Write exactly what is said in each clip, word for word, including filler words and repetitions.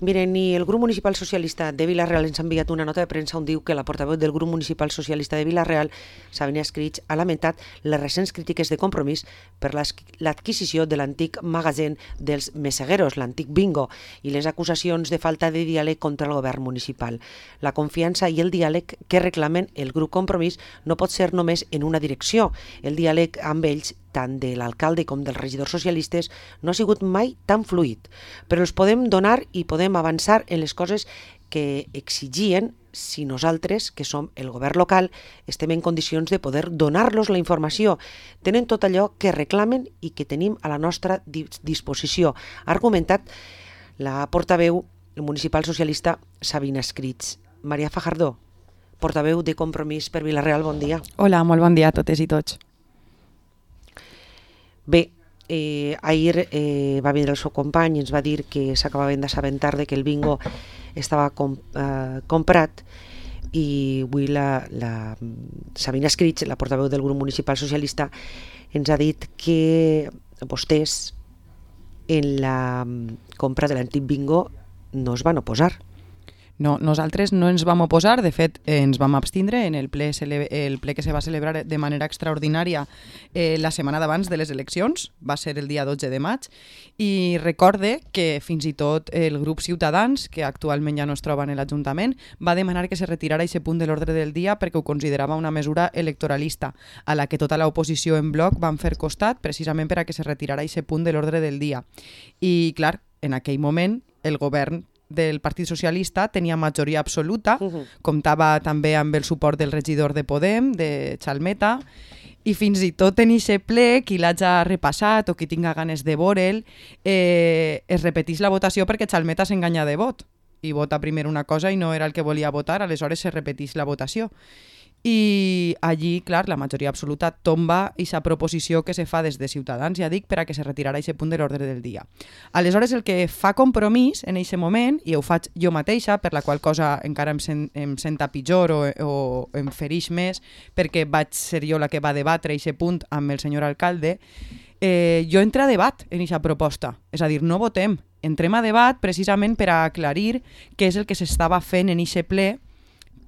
Miren, ni el grup municipal socialista de Vila-real ens ha enviat una nota de premsa on diu que la portaveu del grup municipal socialista de Vila-real, Sabina Escrits, ha lamentat les recents crítiques de Compromís per l'adquisició de l'antic magatzem dels Messegueros, l'antic bingo, i les acusacions de falta de diàleg contra el govern municipal. La confiança i el diàleg que reclamen el grup Compromís no pot ser només en una direcció. El diàleg amb ells, tant de l'alcalde com dels regidors socialistes, no ha sigut mai tan fluid, però els podem donar i podem avançar en les coses que exigien si nosaltres, que som el govern local, estem en condicions de poder donar-los la informació. Tenen tot allò que reclamen i que tenim a la nostra disposició, ha argumentat la portaveu municipal socialista Sabina Escrits. Maria Fajardo, portaveu de Compromís per Vila-real, bon dia. Hola, molt bon dia a totes i tots. Bé, eh, ahir eh, va vindre el seu company i ens va dir que s'acabaven d'assabentar de que el bingo estava com, eh, comprat, i avui la, la Sabina Escrits, la portaveu del grup municipal socialista, ens ha dit que vostès en la compra de l'antic bingo no es van oposar. No, nosaltres no ens vam oposar, de fet eh, ens vam abstindre en el ple, el ple que se va celebrar de manera extraordinària eh, la setmana d'abans de les eleccions, va ser el dia dotze de maig, i recorde que fins i tot el grup Ciutadans, que actualment ja no es troba en l'Ajuntament, va demanar que se retirara aquest punt de l'ordre del dia perquè ho considerava una mesura electoralista, a la que tota l'oposició en bloc van fer costat precisament per a que se retirara aquest punt de l'ordre del dia. I clar, en aquell moment el govern del Partit Socialista tenia majoria absoluta, uh-huh. comptava també amb el suport del regidor de Podem, de Chalmeta, i fins i tot en aquest ple, qui l'hagi repassat o qui tinga ganes de veure'l, eh, es repetís la votació perquè Chalmeta s'enganya de vot, i vota primer una cosa i no era el que volia votar, aleshores se repetís la votació. I allí, clar, la majoria absoluta tomba aquesta proposició que se fa des de Ciutadans, ja dic, per a que se retirara aquest punt de l'ordre del dia. Aleshores, el que fa Compromís en aquest moment, i ho faig jo mateixa, per la qual cosa encara em, sen, em senta pitjor o, o em ferix més, perquè vaig ser jo la que va debatre aquest punt amb el senyor alcalde, eh, jo entro a debat en aquesta proposta. És a dir, no votem, entrem a debat precisament per a aclarir què és el que s'estava fent en aquest ple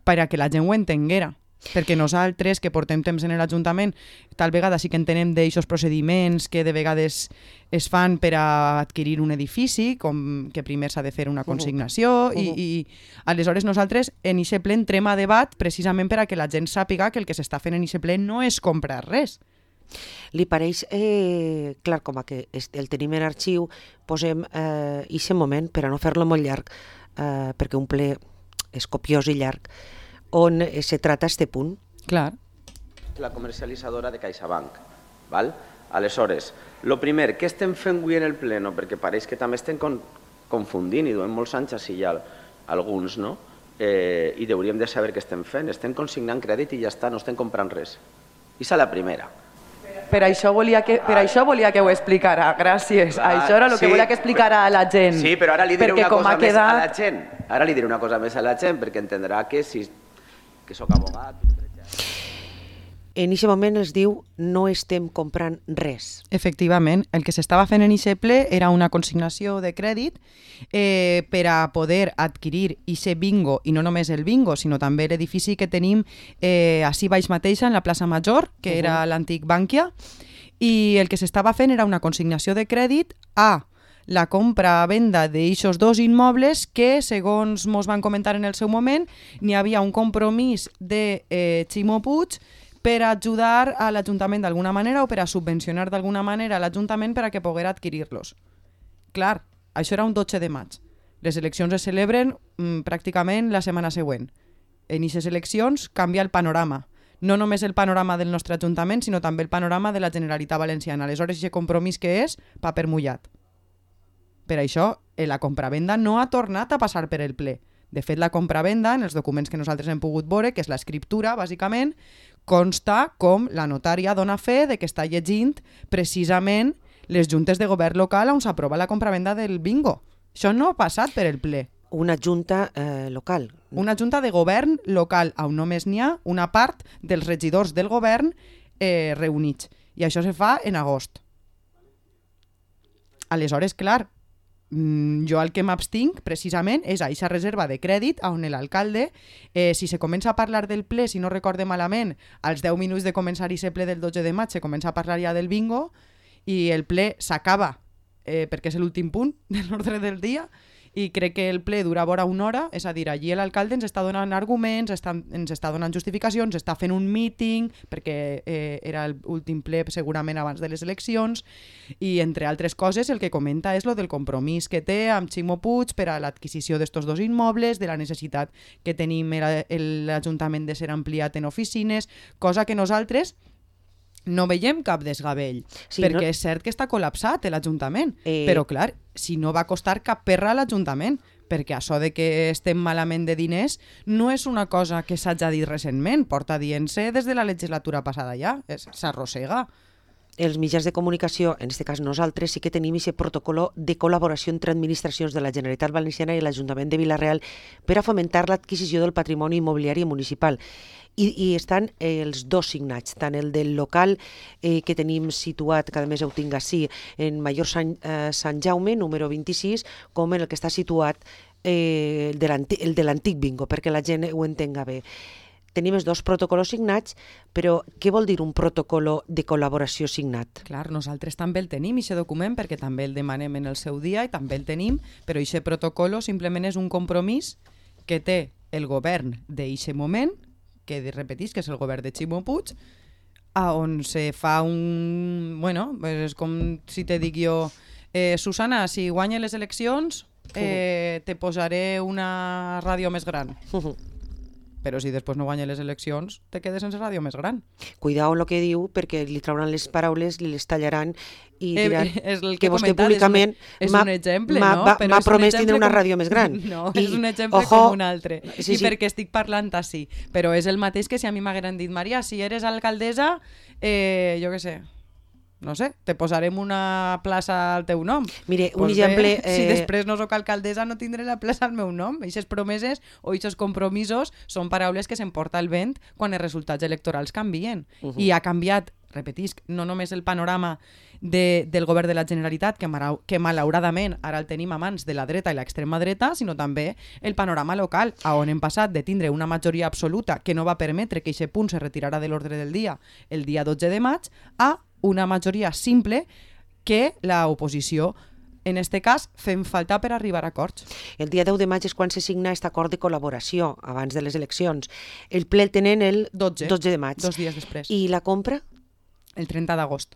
per a que la gent ho entenguera. Perquè nosaltres, que portem temps en l'Ajuntament, tal vegada sí que entenem d'aixòs procediments que de vegades es fan per a adquirir un edifici, com que primer s'ha de fer una consignació, uh-huh. i, i aleshores nosaltres en aquest ple entrem a debat precisament per a que la gent sàpiga que el que s'està fent en aquest ple no és comprar res. Li pareix, eh, clar, com a que el tenim en arxiu, posem eh, aquest moment, per a no fer-lo molt llarg, eh, perquè un ple és copiós i llarg, on se trata este punt. Clar. La comercialitzadora de CaixaBank. Val? Aleshores, el primer, què estem fent avui en el pleno? Perquè pareix que també estem con confundint i duem molts anys així ja alguns, no? Eh, I hauríem de saber què estem fent. Estem consignant crèdit i ja està, no estem comprant res. Aquesta és la primera. Per això volia que, per això volia que ho explicara, gràcies. Clar, això era el que sí, volia que explicara a la gent. Sí, però ara li diré una cosa més quedat... a la gent. Ara li diré una cosa més a la gent, perquè entendrà que si que sóc abogat. En aquest moment es diu no estem comprant res. Efectivament, el que s'estava fent en aquest ple era una consignació de crèdit eh, per a poder adquirir aquest bingo, i no només el bingo, sinó també l'edifici que tenim eh, així baix mateixa, en la plaça Major, que uh-huh. era l'antic Bànquia, i el que s'estava fent era una consignació de crèdit a la compra-venda d'aixòs dos immobles que, segons mos van comentar en el seu moment, n'hi havia un compromís de eh, Ximo Puig per ajudar a l'Ajuntament d'alguna manera o per a subvencionar d'alguna manera a l'Ajuntament per a que poguera adquirir-los. Clar, això era un dotze de maig. Les eleccions es celebren mm, pràcticament la setmana següent. En aquestes eleccions canvia el panorama. No només el panorama del nostre Ajuntament, sinó també el panorama de la Generalitat Valenciana. Aleshores, aquest compromís que és paper mullat. Per això, la compravenda no ha tornat a passar per el ple. De fet, la compravenda, en els documents que nosaltres hem pogut veure, que és l'escriptura, bàsicament, consta com la notària dona fe de que està llegint precisament les juntes de govern local on s'aprova la compravenda del bingo. Això no ha passat per el ple. Una junta eh, local. Una junta de govern local, on només n'hi ha una part dels regidors del govern eh, reunits. I això se fa en agost. Aleshores, clar, mm, jo el que m'abstinc precisament és a aquesta reserva de crèdit on l'alcalde, eh, si se comença a parlar del ple, si no recorde malament, als deu minuts de començar aquest ple del dotze de maig se comença a parlar ja del bingo i el ple s'acaba eh, perquè és l'últim punt de l'ordre del dia i crec que el ple dura vora una hora, és a dir, allí l'alcalde ens està donant arguments, està, ens està donant justificacions, està fent un meeting, perquè eh, era l'últim ple segurament abans de les eleccions, i entre altres coses el que comenta és lo del compromís que té amb Ximo Puig per a l'adquisició d'estos dos immobles, de la necessitat que tenim l'Ajuntament de ser ampliat en oficines, cosa que nosaltres no veiem cap desgavell, sí, perquè no... és cert que està col·lapsat l'Ajuntament, eh... però clar, si no va costar cap perra a l'Ajuntament, perquè això de que estem malament de diners no és una cosa que s'hagi dit recentment, porta dient-se des de la legislatura passada ja, s'arrossega. Els mitjans de comunicació, en aquest cas nosaltres, sí que tenim aquest protocol de col·laboració entre administracions de la Generalitat Valenciana i l'Ajuntament de Vila-real per a fomentar l'adquisició del patrimoni immobiliari municipal. I, i estan eh, els dos signats, tant el del local eh, que tenim situat, que a més ho tinc així, en Major Sant, eh, Sant Jaume, número vint-i-sis, com el que està situat eh, el de l'antic bingo, perquè la gent ho entenga bé. Tenim els dos protocols signats, però què vol dir un protocol de col·laboració signat? Clar, nosaltres també el tenim, aquest document, perquè també el demanem en el seu dia i també el tenim, però aquest protocol simplement és un compromís que té el govern d'aquest moment, que repetís que és el govern de Ximo Puig, on se fa un... Bueno, és com si te dic jo, eh, Susana, si guanya les eleccions, eh, te posaré una ràdio més gran. Però si després no guanya les eleccions, te quedes sense ràdio més gran. Cuidao amb el que diu, perquè li trauran les paraules, li les tallaran i diran eh, és el que, que vostè públicament és un exemple, no? m'ha promès tindre una ràdio més gran. No, I, és un exemple ojo, com un altre. Sí, I sí. perquè estic parlant així. Però és el mateix que si a mi m'hagueren dit, Maria, si eres alcaldessa, eh, jo què sé, no sé, te posarem una plaça al teu nom. Mire, un pues exemple... Bé, eh... Si després no sóc alcaldessa no tindré la plaça al meu nom. Eixes promeses o eixos compromisos són paraules que s'emporta el vent quan els resultats electorals canvien. Uh -huh. I ha canviat, repetisc, no només el panorama de, del govern de la Generalitat, que, que malauradament ara el tenim a mans de la dreta i l'extrema dreta, sinó també el panorama local, on hem passat de tindre una majoria absoluta que no va permetre que aquest punt se retirara de l'ordre del dia el dia dotze de maig, a una majoria simple que l'oposició, en aquest cas, fem falta per arribar a acords. El dia deu de maig és quan se signa aquest acord de col·laboració, abans de les eleccions. El ple el tenen el dotze de maig. Dos dies després. I la compra? El trenta d'agost.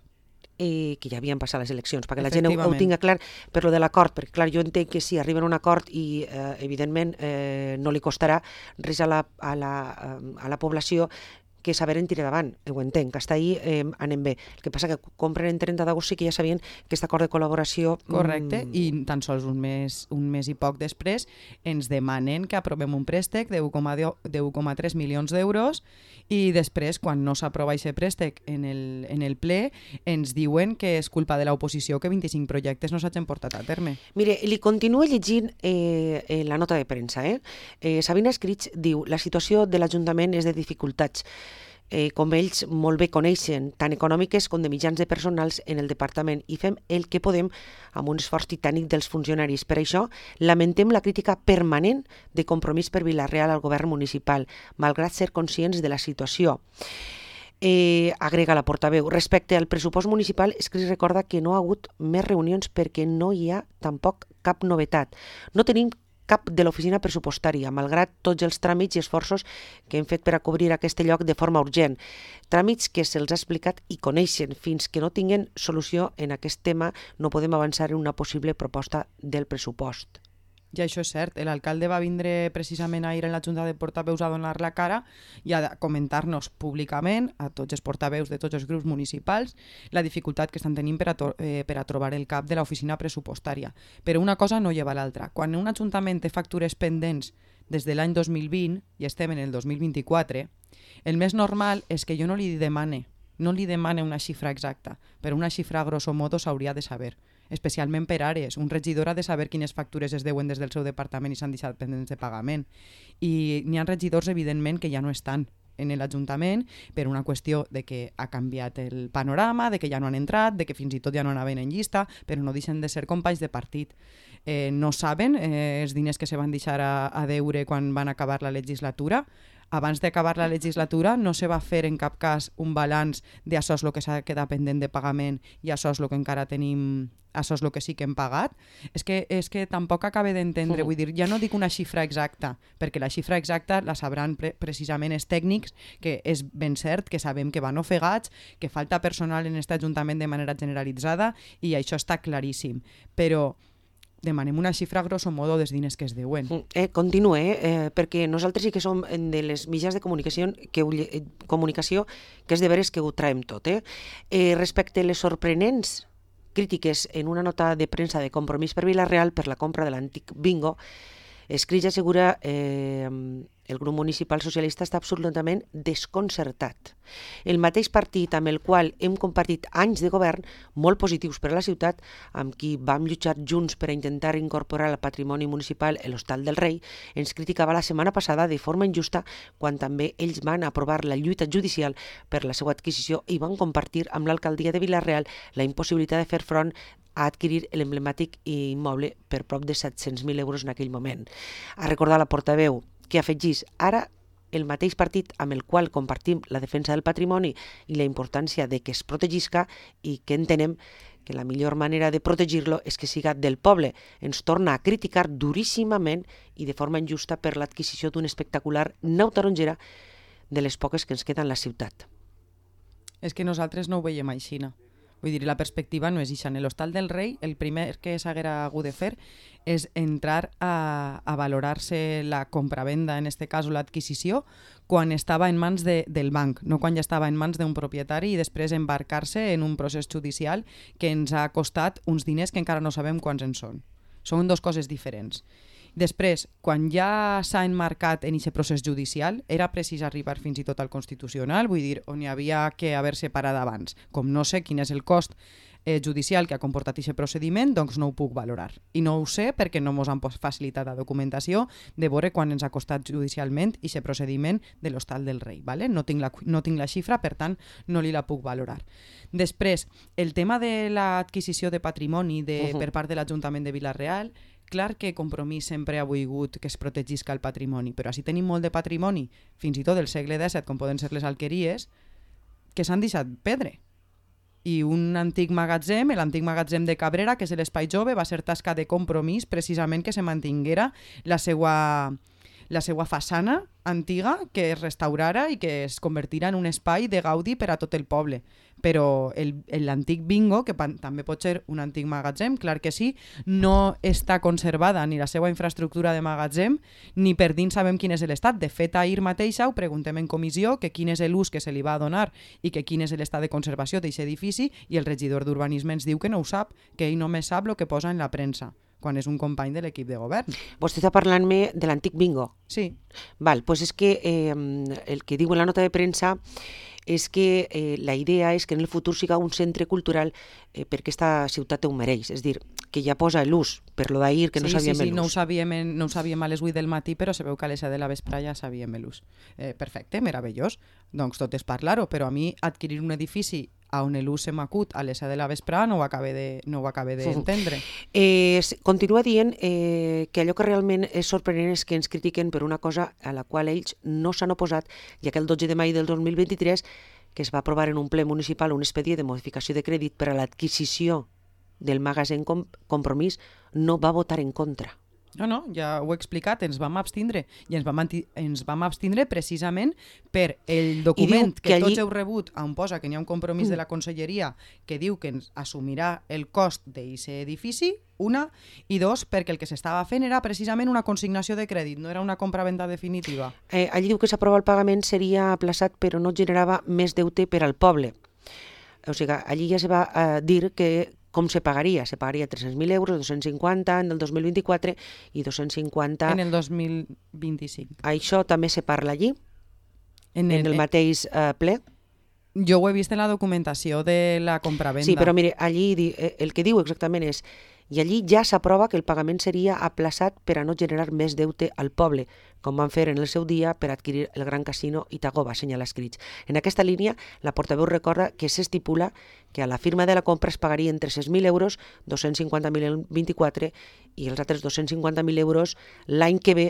Eh, que ja havien passat les eleccions, perquè la gent ho, ho tinga clar per lo de l'acord, perquè clar, jo entenc que si arriben a un acord i eh, evidentment eh, no li costarà res a la, a la, a la població que saber en tirar davant, ho entenc, que està ahí eh, anem bé. El que passa que compren en trenta d'agost sí que ja sabien que aquest acord de col·laboració... Correcte, mm... i tan sols un mes, un mes i poc després ens demanen que aprovem un préstec de u coma tres milions d'euros i després, quan no s'aprova aquest préstec en el, en el ple, ens diuen que és culpa de l'oposició que vint-i-cinc projectes no s'hagin portat a terme. Mire, li continuo llegint eh, eh, la nota de premsa. Eh? Eh, Sabina Escrits diu: la situació de l'Ajuntament és de dificultats, eh, com ells molt bé coneixen, tant econòmiques com de mitjans de personals en el departament, i fem el que podem amb un esforç titànic dels funcionaris. Per això lamentem la crítica permanent de Compromís per Vila-real al govern municipal, malgrat ser conscients de la situació. Eh, agrega la portaveu. Respecte al pressupost municipal, és que es recorda que no ha hagut més reunions perquè no hi ha tampoc cap novetat. No tenim cap de l'oficina pressupostària, malgrat tots els tràmits i esforços que hem fet per a cobrir aquest lloc de forma urgent. Tràmits que se'ls ha explicat i coneixen. Fins que no tinguin solució en aquest tema no podem avançar en una possible proposta del pressupost. I això és cert, l'alcalde va vindre precisament ahir en la Junta de Portaveus a donar la cara i a comentar-nos públicament a tots els portaveus de tots els grups municipals la dificultat que estan tenint per a, eh, per a trobar el cap de l'oficina pressupostària. Però una cosa no lleva l'altra. Quan un ajuntament té factures pendents des de l'any dos mil vint i estem en el dos mil vint-i-quatre, el més normal és que jo no li demane, no li demane una xifra exacta, però una xifra grosso modo s'hauria de saber. Especialment per àrees. Un regidor ha de saber quines factures es deuen des del seu departament i s'han deixat pendents de pagament. I n'hi ha regidors, evidentment, que ja no estan, en l'Ajuntament per una qüestió de que ha canviat el panorama, de que ja no han entrat, de que fins i tot ja no anaven en llista, però no deixen de ser companys de partit. Eh, no saben eh, els diners que se van deixar a, a deure quan van acabar la legislatura. Abans d'acabar la legislatura no se va fer en cap cas un balanç de això és el que s'ha quedat pendent de pagament i això és el que encara tenim, això és el que sí que hem pagat. És que, és que tampoc acabe d'entendre, vull dir, ja no dic una xifra exacta, perquè la xifra exacta la sabran pre precisament els tècnics, que és ben cert, que sabem que van ofegats, que falta personal en aquest Ajuntament de manera generalitzada i això està claríssim. Però demanem una xifra grosso modo dels diners que es deuen. Eh, continue, eh, perquè nosaltres sí que som de les mitjans de comunicació que, ho, eh, comunicació que és de veres que ho traiem tot. Eh? Eh, respecte a les sorprenents crítiques en una nota de premsa de Compromís per Vila-real per la compra de l'antic bingo, Escrits assegura eh, el grup municipal socialista està absolutament desconcertat. El mateix partit amb el qual hem compartit anys de govern molt positius per a la ciutat, amb qui vam lluitar junts per a intentar incorporar al patrimoni municipal l'Hostal del Rei, ens criticava la setmana passada de forma injusta quan també ells van aprovar la lluita judicial per la seva adquisició i van compartir amb l'alcaldia de Vila-real la impossibilitat de fer front a adquirir l'emblemàtic immoble per prop de set-cents mil euros en aquell moment. A recordar la portaveu que afegís ara el mateix partit amb el qual compartim la defensa del patrimoni i la importància de que es protegisca i que entenem que la millor manera de protegir-lo és que siga del poble. Ens torna a criticar duríssimament i de forma injusta per l'adquisició d'un espectacular nau tarongera de les poques que ens queden a la ciutat. És que nosaltres no ho veiem així, no? Vull dir, la perspectiva no és això. En l'Hostal del Rei, el primer que s'haguera hagut de fer és entrar a, a valorar-se la compra-venda, en este cas l'adquisició, quan estava en mans de, del banc, no quan ja estava en mans d'un propietari i després embarcar-se en un procés judicial que ens ha costat uns diners que encara no sabem quants en són. Són dues coses diferents. Després, quan ja s'ha enmarcat en aquest procés judicial, era precís arribar fins i tot al Constitucional, vull dir, on hi havia que haver-se parat abans. Com no sé quin és el cost eh, judicial que ha comportat aquest procediment, doncs no ho puc valorar. I no ho sé perquè no ens han facilitat la documentació de veure quan ens ha costat judicialment aquest procediment de l'Hostal del Rei. ¿vale? No tinc la, no tinc la xifra, per tant, no li la puc valorar. Després, el tema de l'adquisició de patrimoni de, uh-huh. per part de l'Ajuntament de Vila-real, clar que Compromís sempre ha volgut que es protegisca el patrimoni, però així tenim molt de patrimoni, fins i tot del segle dèsset, com poden ser les alqueries, que s'han deixat perdre. I un antic magatzem, l'antic magatzem de Cabrera, que és l'Espai Jove, va ser tasca de Compromís precisament que se mantinguera la seva, la seva façana antiga, que es restaurara i que es convertira en un espai de gaudi per a tot el poble. Però l'antic bingo, que també pot ser un antic magatzem, clar que sí, no està conservada ni la seva infraestructura de magatzem, ni per dins sabem quin és l'estat. De fet, ahir mateixa ho preguntem en comissió que quin és l'ús que se li va donar i que quin és l'estat de conservació d'aquest edifici, i el regidor d'Urbanisme ens diu que no ho sap, que ell només sap el que posa en la premsa, quan és un company de l'equip de govern. Vostè està parlant-me de l'antic bingo? Sí. Val, doncs és que eh, el que diu en la nota de premsa és que eh, la idea és que en el futur siga un centre cultural eh, perquè aquesta ciutat ho mereix, és dir, que ja posa l'ús, per lo d'ahir que no sí, sabíem sí, sí, l'ús. No ho sabíem, en, no ho sabíem a les vuit del matí, però sabeu que a les set de la vesprà ja sabíem l'ús. Eh, perfecte, meravellós, doncs tot és parlar-ho, però a mi adquirir un edifici on l'ús se m'acut a les set de la vesprà no ho acabe de, no ho acabe d'entendre. Eh, continua dient eh, que allò que realment és sorprenent és que ens critiquen per una cosa a la qual ells no s'han oposat, ja que el dotze de maig del dos mil vint-i-tres que es va aprovar en un ple municipal un expedient de modificació de crèdit per a l'adquisició del magatzem Compromís, no va votar en contra. No, no, ja ho he explicat, ens vam abstindre i ens vam, ens vam abstindre precisament per el document que, que allí... tots heu rebut on posa que n'hi ha un compromís mm. de la Conselleria que diu que ens assumirà el cost d'aquest edifici, una, i dos, perquè el que s'estava fent era precisament una consignació de crèdit, no era una compra-venda definitiva. Eh, allí diu que s'aprova el pagament seria aplaçat però no generava més deute per al poble. O sigui, allí ja se va eh, dir que com se pagaria? Se pagaria tres-cents mil euros, dos-cents cinquanta en el dos mil vint-i-quatre i dos-cents cinquanta... En el dos mil vint-i-cinc. Això també se parla allí? En el, en el mateix eh, ple? Jo ho he vist en la documentació de la compravenda. Sí, però mire, allí el que diu exactament és i allí ja s'aprova que el pagament seria aplaçat per a no generar més deute al poble, com van fer en el seu dia per adquirir el gran casino Itagoba, assenyala Escrits. En aquesta línia, la portaveu recorda que s'estipula que a la firma de la compra es pagarien tres cents mil euros, dos-cents cinquanta mil el vint-i-quatre i els altres dos-cents cinquanta mil euros l'any que ve,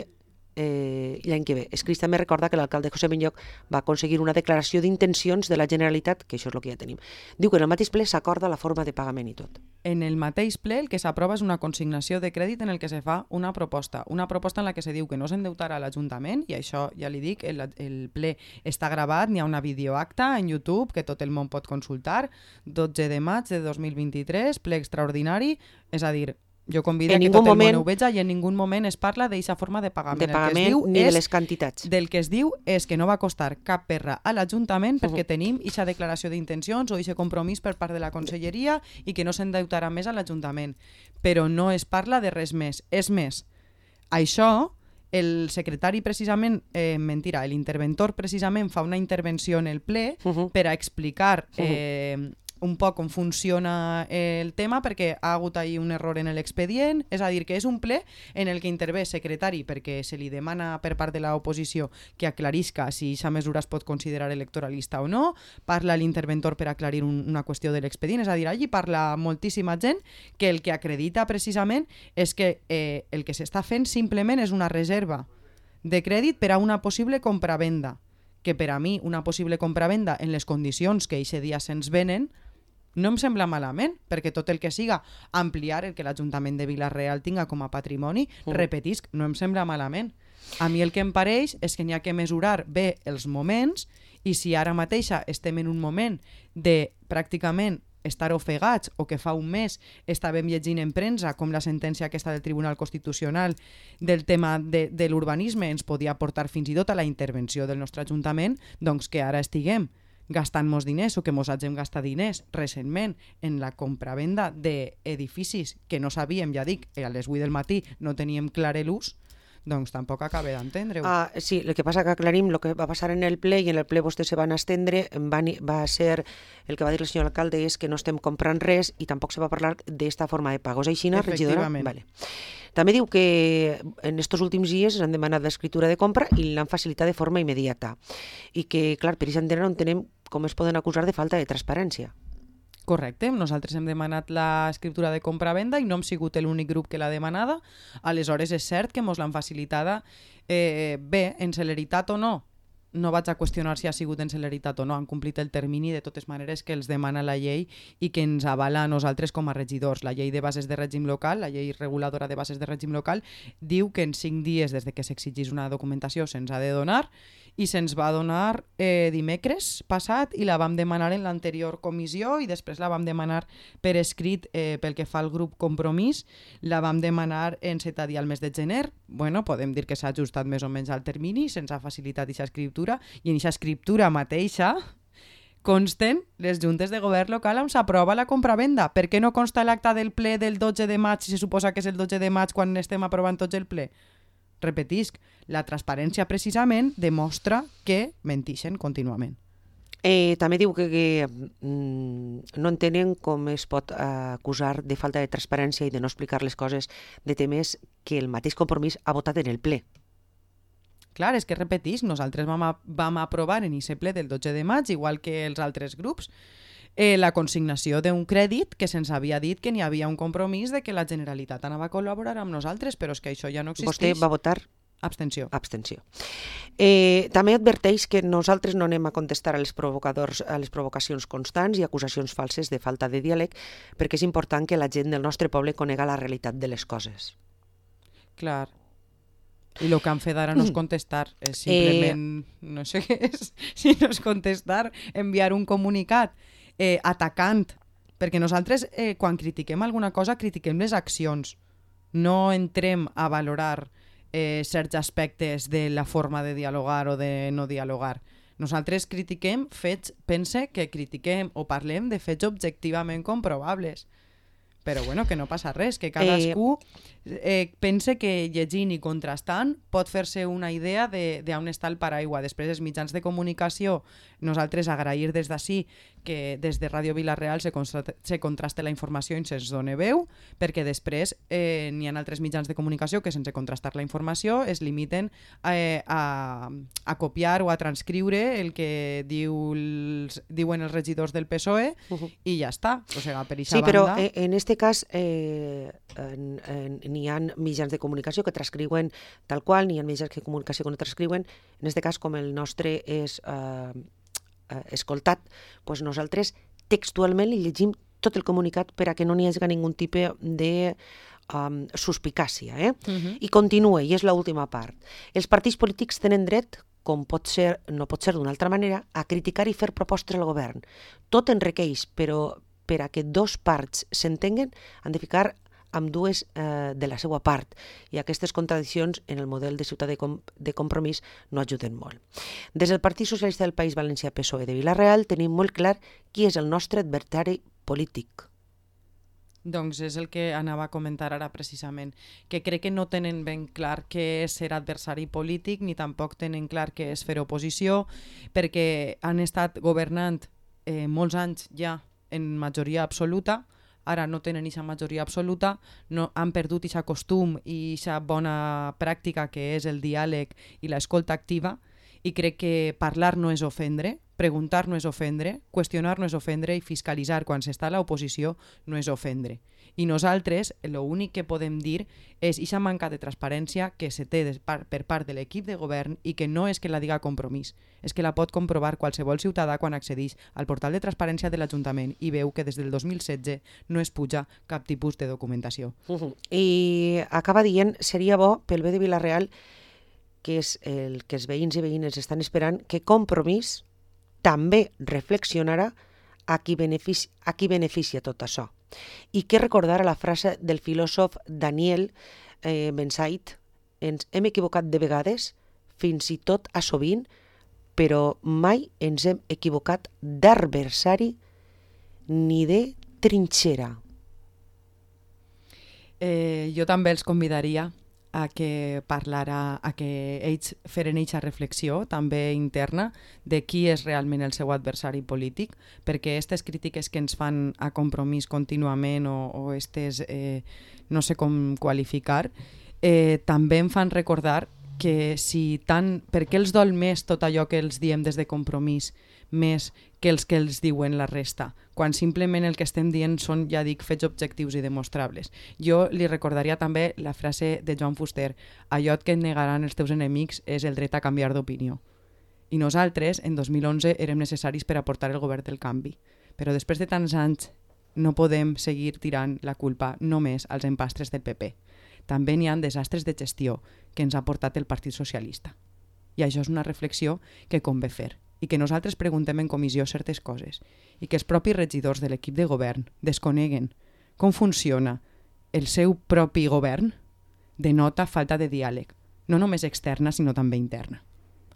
Eh, l'any que ve. Escrits també recorda que l'alcalde José Benlloc va aconseguir una declaració d'intencions de la Generalitat, que això és el que ja tenim. Diu que en el mateix ple s'acorda la forma de pagament i tot. En el mateix ple el que s'aprova és una consignació de crèdit en el que se fa una proposta, una proposta en la que se diu que no s'endeutarà l'Ajuntament, i això ja li dic, el, el ple està gravat, n'hi ha una videoacta en YouTube que tot el món pot consultar, dotze de maig de dos mil vint-i-tres, ple extraordinari, és a dir, jo convido a que tot el moment, món ho veja i en ningú moment es parla d'eixa forma de pagament. De pagament el que es diu ni és, de les quantitats. Del que es diu és que no va costar cap perra a l'Ajuntament perquè uh-huh. tenim eixa declaració d'intencions o eixe compromís per part de la Conselleria i que no s'endeutarà més a l'Ajuntament. Però no es parla de res més. És més, això, el secretari precisament, eh, mentira, l'interventor precisament fa una intervenció en el ple uh-huh. per a explicar eh, uh-huh. un poc com funciona el tema, perquè ha hagut ahí un error en l'expedient, és a dir, que és un ple en el que intervé secretari perquè se li demana per part de l'oposició que aclarisca si aquesta mesura es pot considerar electoralista o no, parla l'interventor per aclarir un, una qüestió de l'expedient, és a dir, allí parla moltíssima gent que el que acredita precisament és que eh, el que s'està fent simplement és una reserva de crèdit per a una possible compravenda, que per a mi una possible compravenda en les condicions que eixe dia se'ns venen no em sembla malament, perquè tot el que siga ampliar el que l'Ajuntament de Vila-real tinga com a patrimoni, uh. repetisc, no em sembla malament. A mi el que em pareix és que n'hi ha que mesurar bé els moments i si ara mateixa estem en un moment de pràcticament estar ofegats o que fa un mes estàvem llegint en premsa com la sentència aquesta del Tribunal Constitucional del tema de, de l'urbanisme ens podia portar fins i tot a la intervenció del nostre Ajuntament, doncs que ara estiguem gastant-nos diners o que mos hagin gastat diners recentment en la compravenda d'edificis que no sabíem, ja dic, a les vuit del matí no teníem clar l'ús, doncs tampoc acaba d'entendre-ho. Ah, sí, el que passa que aclarim el que va passar en el ple i en el ple vostès se van estendre, van, va ser, el que va dir el senyor alcalde és que no estem comprant res i tampoc se va parlar d'esta forma de pagos. Així, regidora? Vale. També diu que en estos últims dies han demanat l'escriptura de compra i l'han facilitat de forma immediata i que, clar, per això no entenem com es poden acusar de falta de transparència. Correcte, nosaltres hem demanat l'escriptura de compra-venda i no hem sigut l'únic grup que l'ha demanada. Aleshores és cert que mos l'han facilitada eh, bé, en celeritat o no. No vaig a qüestionar si ha sigut en celeritat o no, han complit el termini de totes maneres que els demana la llei i que ens avala a nosaltres com a regidors. La llei de bases de règim local, la llei reguladora de bases de règim local, diu que en cinc dies des de que s'exigís una documentació se'ns ha de donar i se'ns va donar eh, dimecres passat i la vam demanar en l'anterior comissió i després la vam demanar per escrit eh, pel que fa al grup Compromís, la vam demanar en setè dia al mes de gener. Bueno, podem dir que s'ha ajustat més o menys al termini, se'ns ha facilitat aquesta escriptura i en aquesta escriptura mateixa consten les juntes de govern local on s'aprova la compravenda. Per què no consta l'acta del ple del dotze de maig si se suposa que és el dotze de maig quan estem aprovant tots el ple? Repetisc, la transparència precisament demostra que mentixen contínuament. Eh, també diu que, que mm, no entenen com es pot eh, acusar de falta de transparència i de no explicar les coses de temes que el mateix Compromís ha votat en el ple. Clar, és que repetisc, nosaltres vam, a, vam aprovar en aquest ple del dotze de maig, igual que els altres grups, Eh, la consignació d'un crèdit que se'ns havia dit que n'hi havia un compromís de que la Generalitat anava a col·laborar amb nosaltres, però és que això ja no existeix. Vostè va votar? Abstenció. Abstenció. Eh, també adverteix que nosaltres no anem a contestar a les provocadors, a les provocacions constants i acusacions falses de falta de diàleg, perquè és important que la gent del nostre poble conega la realitat de les coses. Clar. I el que han fet ara no és contestar, és simplement, eh... no sé què és, si no és contestar, enviar un comunicat eh, atacant, perquè nosaltres eh, quan critiquem alguna cosa critiquem les accions, no entrem a valorar eh, certs aspectes de la forma de dialogar o de no dialogar. Nosaltres critiquem fets, pense que critiquem o parlem de fets objectivament comprovables. Però bueno, que no passa res, que cadascú eh, pense que llegint i contrastant pot fer-se una idea d'on està el paraigua. Després, els mitjans de comunicació, nosaltres agrair des d'ací que des de Ràdio Vila-real se, se contraste la informació i se'ns doni veu, perquè després eh, n'hi ha altres mitjans de comunicació que sense contrastar la informació es limiten eh, a, a copiar o a transcriure el que diu els, diuen els regidors del P S O E uh -huh. i ja està. O sigui, per sí, banda... però eh, en este cas eh, n'hi ha mitjans de comunicació que transcriuen tal qual, n'hi ha mitjans de comunicació que no transcriuen. En este cas, com el nostre és eh, eh, escoltat, doncs nosaltres textualment li llegim tot el comunicat per a que no n'hi hagi ningun tipus de um, suspicàcia. Eh? Uh-huh. I continua, i és l'última part. Els partits polítics tenen dret, com pot ser, no pot ser d'una altra manera, a criticar i fer propostes al govern. Tot en requeix, però per a que dos parts s'entenguen, han de ficar amb dues eh, de la seva part, i aquestes contradiccions en el model de ciutat de, com de compromís no ajuden molt. Des del Partit Socialista del País Valencià P S O E de Vila-real tenim molt clar qui és el nostre adversari polític. Doncs és el que anava a comentar ara precisament, que crec que no tenen ben clar què és ser adversari polític, ni tampoc tenen clar què és fer oposició, perquè han estat governant eh, molts anys ja en majoria absoluta, ara no tenen aquesta majoria absoluta, no, han perdut aquest costum i aquesta bona pràctica que és el diàleg i l'escolta activa, i crec que parlar no és ofendre, preguntar no és ofendre, qüestionar no és ofendre i fiscalitzar quan s'està a l'oposició no és ofendre. I nosaltres l'únic que podem dir és aquesta manca de transparència que se té per part de l'equip de govern i que no és que la diga Compromís, és que la pot comprovar qualsevol ciutadà quan accedeix al portal de transparència de l'Ajuntament i veu que des del dos mil setze no es puja cap tipus de documentació. Uh-huh. I acaba dient, seria bo pel bé de Vila-real, que és el que els veïns i veïnes estan esperant, que Compromís també reflexionarà a qui beneficia, a qui beneficia tot això. I que recordar la frase del filòsof Daniel eh, Bensait, ens hem equivocat de vegades, fins i tot a sovint, però mai ens hem equivocat d'adversari ni de trinxera. Eh, jo també els convidaria a que parlara, a que ells feren eixa reflexió també interna de qui és realment el seu adversari polític, perquè aquestes crítiques que ens fan a Compromís contínuament o, o estes, eh, no sé com qualificar, eh, també em fan recordar que si tant, per què els dol més tot allò que els diem des de Compromís més que els que els diuen la resta, quan simplement el que estem dient són, ja dic, fets objectius i demostrables. Jo li recordaria també la frase de Joan Fuster: allò que et negaran els teus enemics és el dret a canviar d'opinió. I nosaltres, en dos mil onze, érem necessaris per aportar el govern del canvi. Però després de tants anys no podem seguir tirant la culpa només als empastres del P P. També n'hi ha desastres de gestió que ens ha portat el Partit Socialista. I això és una reflexió que convé fer, i que nosaltres preguntem en comissió certes coses, i que els propis regidors de l'equip de govern desconeguen com funciona el seu propi govern, denota falta de diàleg, no només externa, sinó també interna.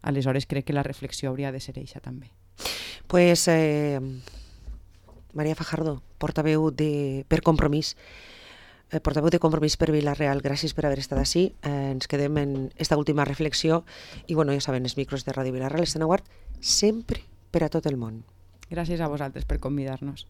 Aleshores crec que la reflexió hauria de ser eixa també. Pues, eh, Maria Fajardo, portaveu de, per Compromís, eh, portaveu de Compromís per Vila-real, gràcies per haver estat així. Eh, ens quedem en esta última reflexió i, bueno, ja saben, els micros de Ràdio Vila-real estan a guard sempre per a tot el món. Gràcies a vosaltres per convidar-nos.